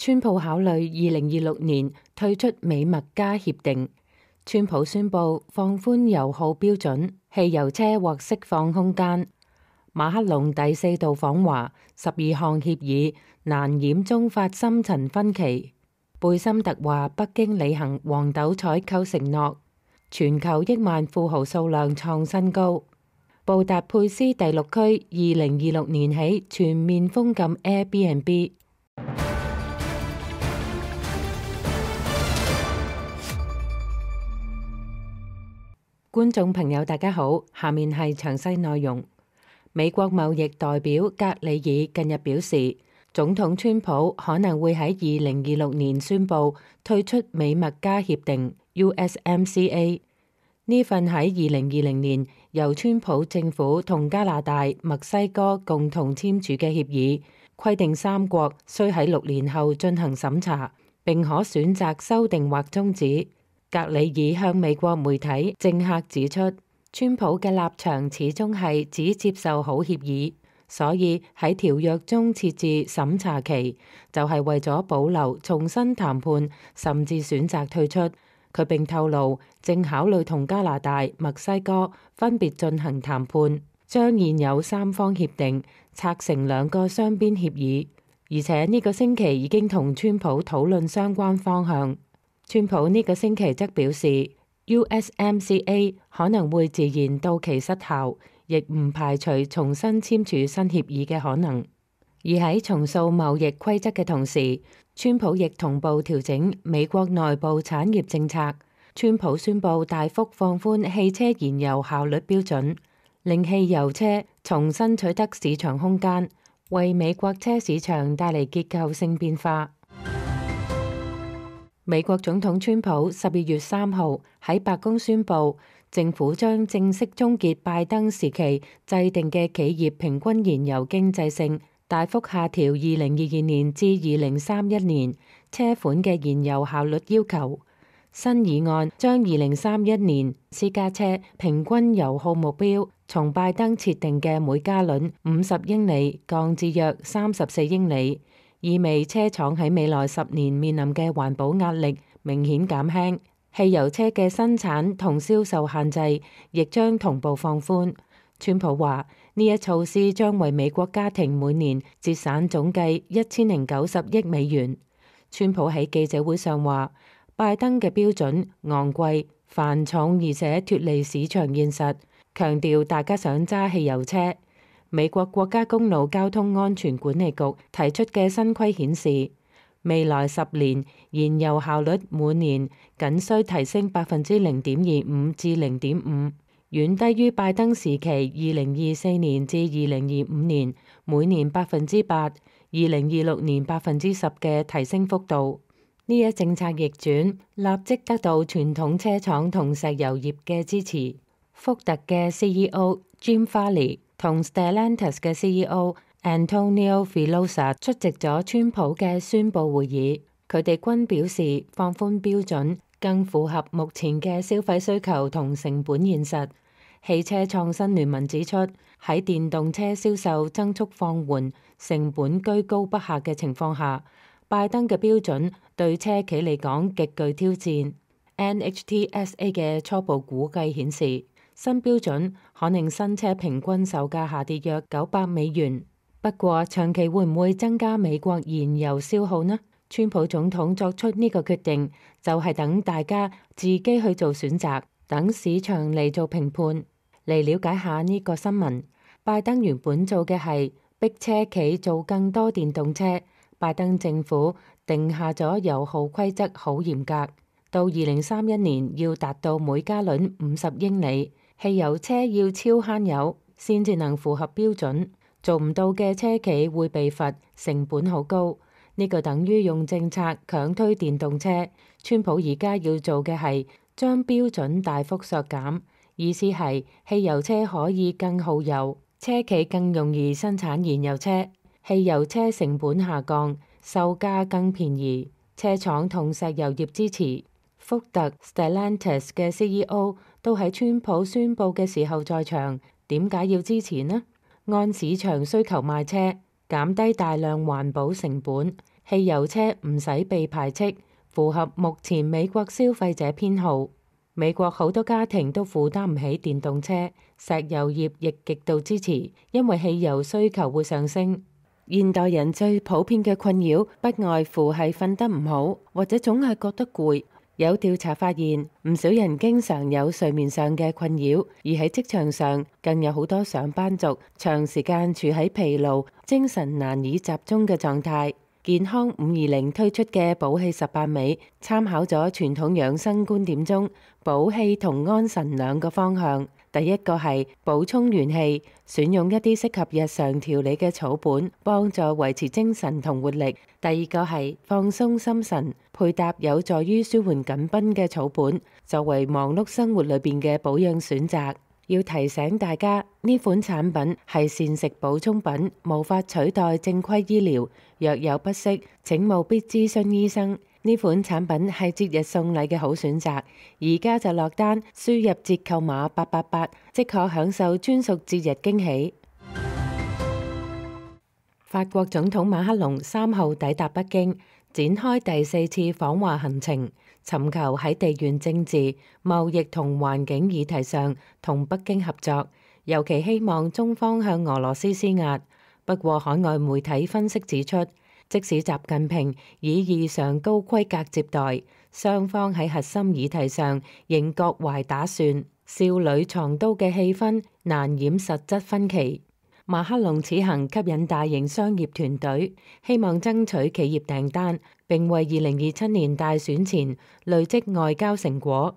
川普考慮2026年退出美墨加協定。川普宣布放寬油耗標準，汽油車獲釋放空間。馬克龍第4度訪華，12項協議難掩中法深層分歧。貝森特話北京履行黃豆採購承諾。全球億萬富豪數量創新高。布達佩斯第6區2026年起全面封禁 Airbnb。觀眾朋友大家好，下面係詳細內容。美國貿易代表格里爾近日表示，總統川普可能會喺2026年宣布退出美墨加協定 USMCA。呢份喺2020年由川普政府同加拿大、墨西哥共同簽署嘅協議，規定三國須喺6年後進行審查，並可選擇修訂或終止。格里爾向美國媒體政客指出，川普嘅立場始終係只接受好協議，所以喺條約中設置審查期，就係為咗保留重新談判，甚至選擇退出。佢並透露正考慮同加拿大、墨西哥分別進行談判，將現有3方協定拆成2個雙邊協議，而且呢個星期已經同川普討論相關方向。川普呢個星期則表示 USMCA 可能會自然到期失效，亦唔排除重新簽署新協議嘅可能。而喺重塑貿易規則嘅同時，川普亦同步調整美國內部產業政策。川普宣布大幅放寬汽車燃油效率標準，令汽油車重新取得市場空間，為美國車市場帶嚟結構性變化。美國總統川普12月3號喺白宮宣布，政府將正式終結拜登時期制定嘅企業平均燃油經濟性大幅下調2022年至2031年車款嘅燃油效率要求。新議案將2031年私家車平均油耗目標從拜登設定嘅每加侖50英里降至約34英里。意味車廠喺未來10年面臨嘅環保壓力明顯減輕，汽油車嘅生產同銷售限制亦將同步放寬。川普話呢一措施將為美國家庭每年節省總計1090億美元。川普喺記者會上話，拜登嘅標準昂貴、繁重而且脫離市場現實，強調大家想揸汽油車。美國國家公路交通安全管理局提出嘅新規顯示，未來10年燃油效率每年僅需提升0.25%至0.5%，遠低於拜登時期2024年至2025年每年8%、2026年10%嘅提升幅度。呢一政策逆轉立即得到傳統車廠同石油業嘅支持。福特嘅 CEO Jim Farley同 Stellantis 嘅 CEO Antonio Filosa 出席咗川普嘅宣佈會議，佢哋均表示放寬標準更符合目前嘅消費需求同成本現實。汽車創新聯盟指出，喺電動車銷售增速放緩、成本居高不下嘅情況下，拜登嘅標準對車企嚟講極具挑戰。NHTSA 嘅初步估計顯示，新標準可令新車平均售價下跌約900美元。不過長期會唔會增加美國燃油消耗呢？川普總統作出呢個決定，就係等大家自己去做選擇，等市場嚟做評判。嚟了解下呢個新聞，拜登原本做嘅係逼車企做更多電動車。拜登政府定下咗油耗規則好嚴格，到2031年要達到每加侖50英里。汽油車要超慳油先至能符合標準，做唔到嘅車企會被罰，成本好高。呢個等於用政策強推電動車。川普而家要做嘅係將標準大幅削減，意思係汽油車可以更耗油，車企更容易生產燃油車，汽油車成本下降，售價更便宜，車廠同石油業支持。福特 Stellantis 嘅 CEO 都喺川普宣佈嘅時候在場，點解要支持呢？按市場需求賣車，減低大量環保成本，汽油車唔使被排斥，符合目前美國消費者偏好。美國好多家庭都負擔唔起電動車，石油業亦極度支持，因為汽油需求會上升。現代人最普遍嘅困擾不外乎係瞓得唔好，或者總係覺得攰。有調查發現，唔少人經常有睡眠上嘅困擾，而喺職場上更有好多上班族長時間處喺疲勞、精神難以集中嘅狀態。健康520推出嘅補氣18味，參考咗傳統養生觀點中補氣同安神兩個方向。第一個係補充元氣，選用一啲適合日常調理嘅草本，幫助維持精神同活力。第二個係放鬆心神，配搭有助於舒緩緊繃嘅草本，作為忙碌生活裏邊嘅保養選擇。要提醒大家，呢款產品係膳食補充品，無法取代正規醫療。若有不適，請務必諮詢醫生。呢款產品係節日送禮嘅好選擇，而家就落單，輸入折扣碼888，即可享受專屬節日驚喜。法國總統馬克龍3號抵達北京，展開第4次訪華行程，尋求喺地緣政治、貿易同環境議題上同北京合作，尤其希望中方向俄羅斯施壓。不過，海外媒體分析指出，即使習近平以異常高規格接待，雙方喺核心議題上仍各懷打算，少女藏刀嘅氣氛難掩實質分歧。馬克龍此行吸引大型商業團隊，希望爭取企業訂單，並為2027年大選前累積外交成果。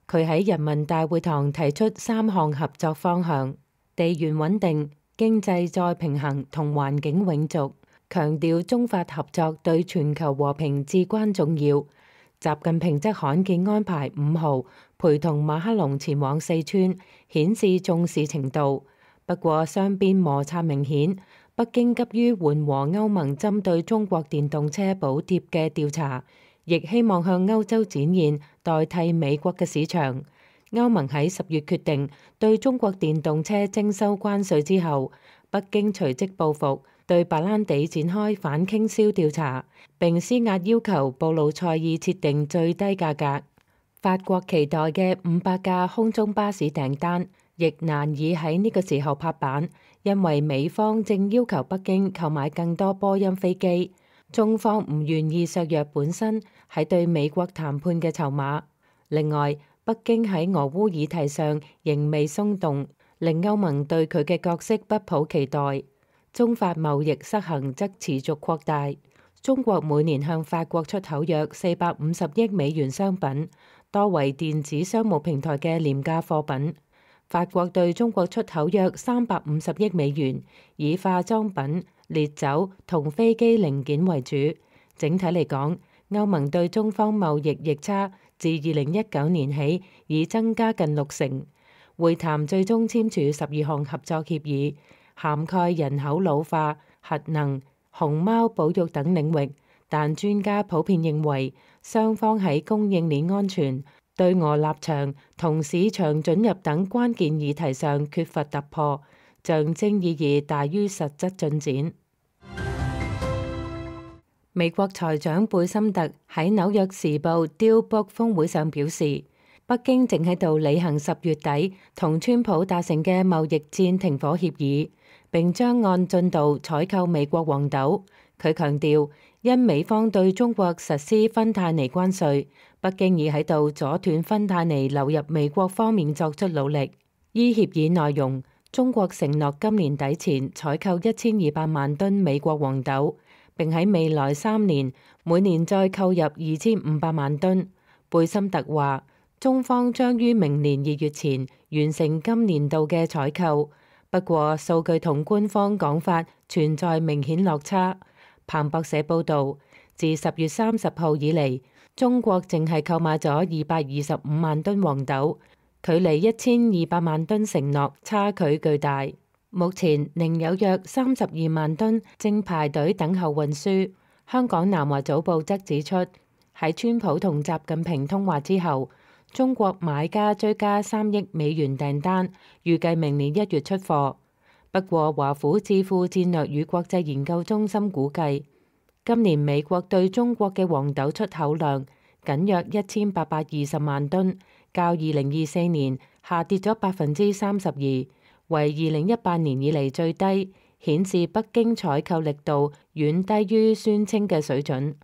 佢喺人民大會堂提出3項合作方向：地緣穩定、經濟再平衡同環境永續，強調中法合作對全球和平至關重要。習近平則罕見安排5號陪同馬克龍前往四川，顯示重視程度。不過雙邊摩擦明顯，北京急於緩和歐盟針對中國電動車補貼嘅調查，亦希望向歐洲展現代替美國嘅市場。歐盟喺10月決定對中國電動車徵收關稅之後，北京隨即報復，對白蘭地展開反傾銷調查，並施壓要求布魯塞爾設定最低價格。法國期待嘅500架空中巴士訂單亦難以喺呢個時候拍板，因為美方正要求北京購買更多波音飛機，中方唔願意削弱本身喺對美國談判嘅籌碼。另外，北京喺俄烏議題上仍未鬆動，令歐盟對佢嘅角色不抱期待。中法貿易失衡則持續擴大，中國每年向法國出口約450億美元商品，多為電子商務平台嘅廉價貨品。法國對中國出口約350億美元，以化妝品、烈酒同飛機零件為主。整體嚟講，歐盟對中方貿易逆差自2019年起已增加近60%。會談最終簽署12項合作協議，涵蓋人口老化、核能、熊貓保育等領域。但專家普遍認為，雙方喺供應鏈安全、對俄立場同市場准入等關鍵議題上缺乏突破，象徵意義大於實質進展。美國財長貝森特喺紐約時報 Dealbook 峰會上表示，北京正喺度履行10月底同川普達成嘅貿易戰停火協議，並將按進度採購美國黃豆。佢強調，因美方對中國實施芬太尼關稅，北京已喺度阻斷芬太尼流入美國方面作出努力。依協議內容，中國承諾今年底前採購1200萬噸美國黃豆，並喺未來3年每年再購入2500萬噸。貝森特話，中方將於明年2月前完成今年度嘅採購，不過數據同官方講法存在明顯落差。彭博社報導，自10月30號以嚟，中國淨係購買咗225萬噸黃豆，距離1200萬噸承諾差距巨大。目前仍有約32萬噸正排隊等候運輸。香港南華早報則指出，喺川普同習近平通話之後，中國買家追加3億美元訂單，預計明年1月出貨。不過，華府智庫戰略與國際研究中心估計，今年美國對中國嘅黃豆出口量僅約1820萬噸，較2024年下跌咗32%，為2018年以嚟最低，顯示北京採購力度遠低於宣稱嘅水準。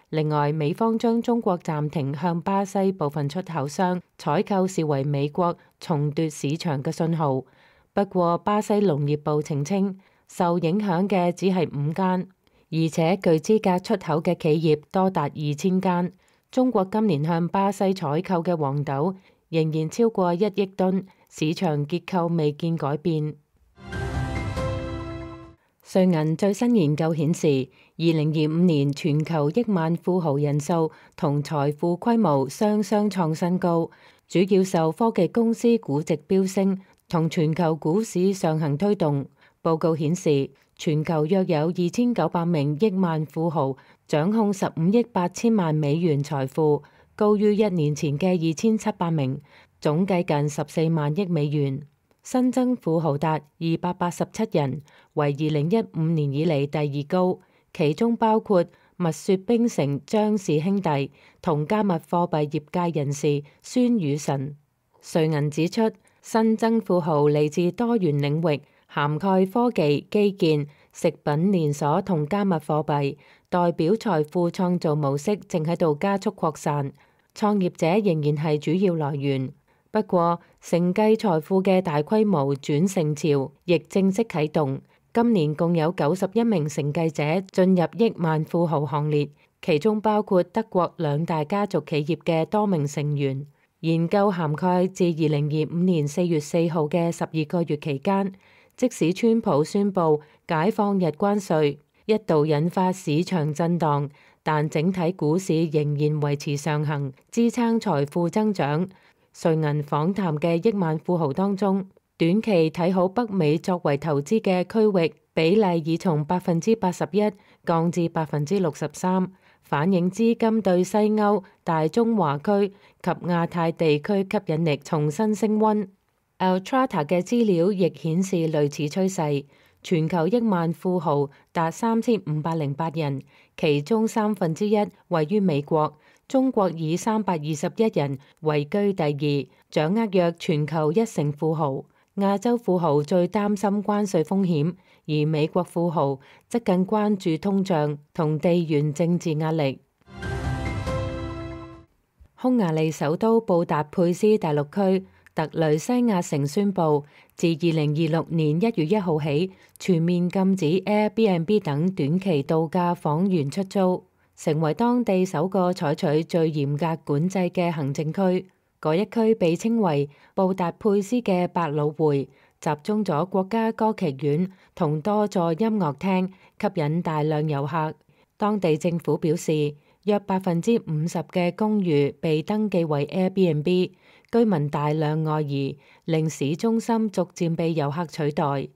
另外，美方將中國暫停向巴西部分出口商採購視為美國重奪市場嘅信號。不過，巴西農業部澄清，受影響嘅只係5間，而且具資格出口嘅企業多達2000間。中國今年向巴西採購嘅黃豆仍然超過1億噸，市場結構未見改變。瑞銀最新研究顯示，2025年全球億萬富豪人數同財富規模雙雙創新高，主要受科技公司估值飆升同全球股市上行推動。報告顯示，全球約有2900名億萬富豪掌控15億8千萬美元財富，高於1年前嘅2700名，總計近14萬億美元。新增富豪達287人，為2015年以嚟第2高，其中包括蜜雪冰城張氏兄弟同加密貨幣業界人士孫宇晨。瑞銀指出，新增富豪嚟自多元領域，涵蓋科技、基建、食品連鎖同加密貨幣，代表財富創造模式正喺度加速擴散，創業者仍然係主要來源。不過，承繼財富嘅大規模轉承潮亦正式啟動。今年共有91名承繼者進入億萬富豪行列，其中包括德國2大家族企業嘅多名成員。研究涵蓋自2025年4月4號嘅12個月期間，即使川普宣布解放日關稅，一度引發市場震盪，但整體股市仍然維持上行，支撐財富增長。瑞銀訪談嘅億萬富豪當中，短期睇好北美作為投資嘅區域比例已從81%降至63%，反映資金對西歐、大中華區及亞太地區吸引力重新升溫。Altrata 嘅資料亦顯示類似趨勢，全球億萬富豪達3508人，其中1/3位於美國。中國以321人位居第2，掌握約全球1成富豪。亞洲富豪最擔心關稅風險，而美國富豪則更關注通脹同地緣政治壓力。匈牙利首都布達佩斯大陸區特雷西亞城宣布，自2026年1月1號起，全面禁止 Airbnb 等短期度假房源出租，成為當地首個採取最嚴格管制嘅行政區。嗰一區被稱為布達佩斯嘅百老匯，集中咗國家歌劇院同多座音樂廳，吸引大量遊客。當地政府表示，約50%嘅公寓被登記為 Airbnb， 居民大量外移，令市中心逐漸被遊客取代。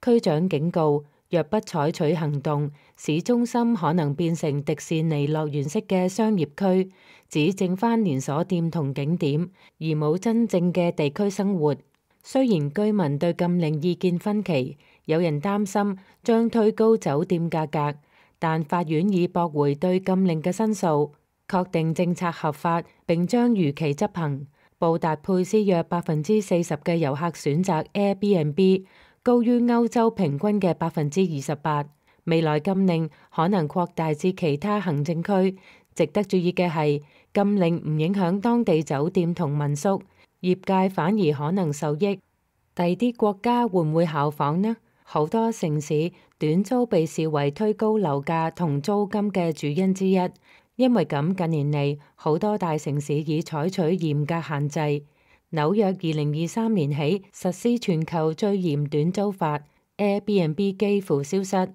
區長警告，若不採取行動，市中心可能變成迪士尼樂園式嘅商業區，只剩返連鎖店同景點，而冇真正嘅地區生活。雖然居民對禁令意見分歧，有人擔心將推高酒店價格，但法院已駁回對禁令嘅申訴，確定政策合法並將如期執行。布達佩斯約40%嘅遊客選擇 Airbnb，高於歐洲平均嘅28%。未來禁令可能擴大至其他行政區。值得注意嘅係，禁令唔影響當地酒店同民宿，業界反而可能受益。第啲國家會唔會效仿呢？好多城市短租被視為推高樓價同租金嘅主因之一。因為咁，近年嚟好多大城市已採取嚴格限制。紐約2023年起實施全球最嚴短租法 ，Airbnb 幾乎消失。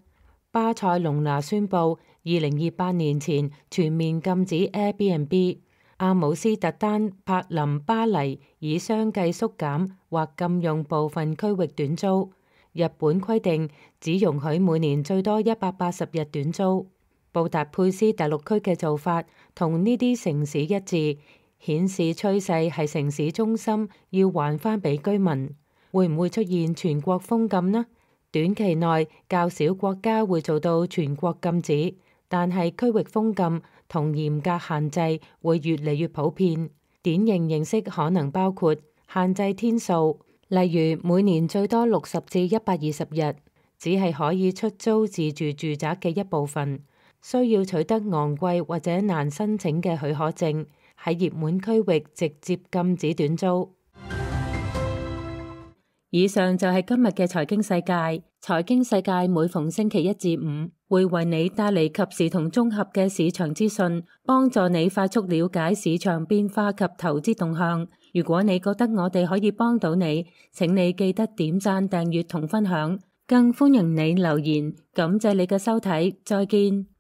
巴塞隆拿宣布2028年前全面禁止 Airbnb。阿姆斯特丹、柏林、巴黎已相繼縮減或禁用部分區域短租。日本規定只容許每年最多180日短租。布達佩斯大陸區嘅做法同呢啲城市一致，顯示趨勢係城市中心要還返俾居民。會唔會出現全國封禁呢？短期內較少國家會做到全國禁止，但係區域封禁同嚴格限制會越嚟越普遍。典型形式可能包括限制天數，例如每年最多60至120日，只係可以出租自住住宅嘅一部分，需要取得昂貴或者難申請嘅許可證，喺熱門區域直接禁止短租。以上就係今日嘅財經世界。財經世界每逢星期1至5會為你帶嚟及時同綜合嘅市場資訊，幫助你快速了解市場變化及投資動向。如果你覺得我哋可以幫到你，請你記得點讚、訂閱同分享，更歡迎你留言。感謝你嘅收睇，再見。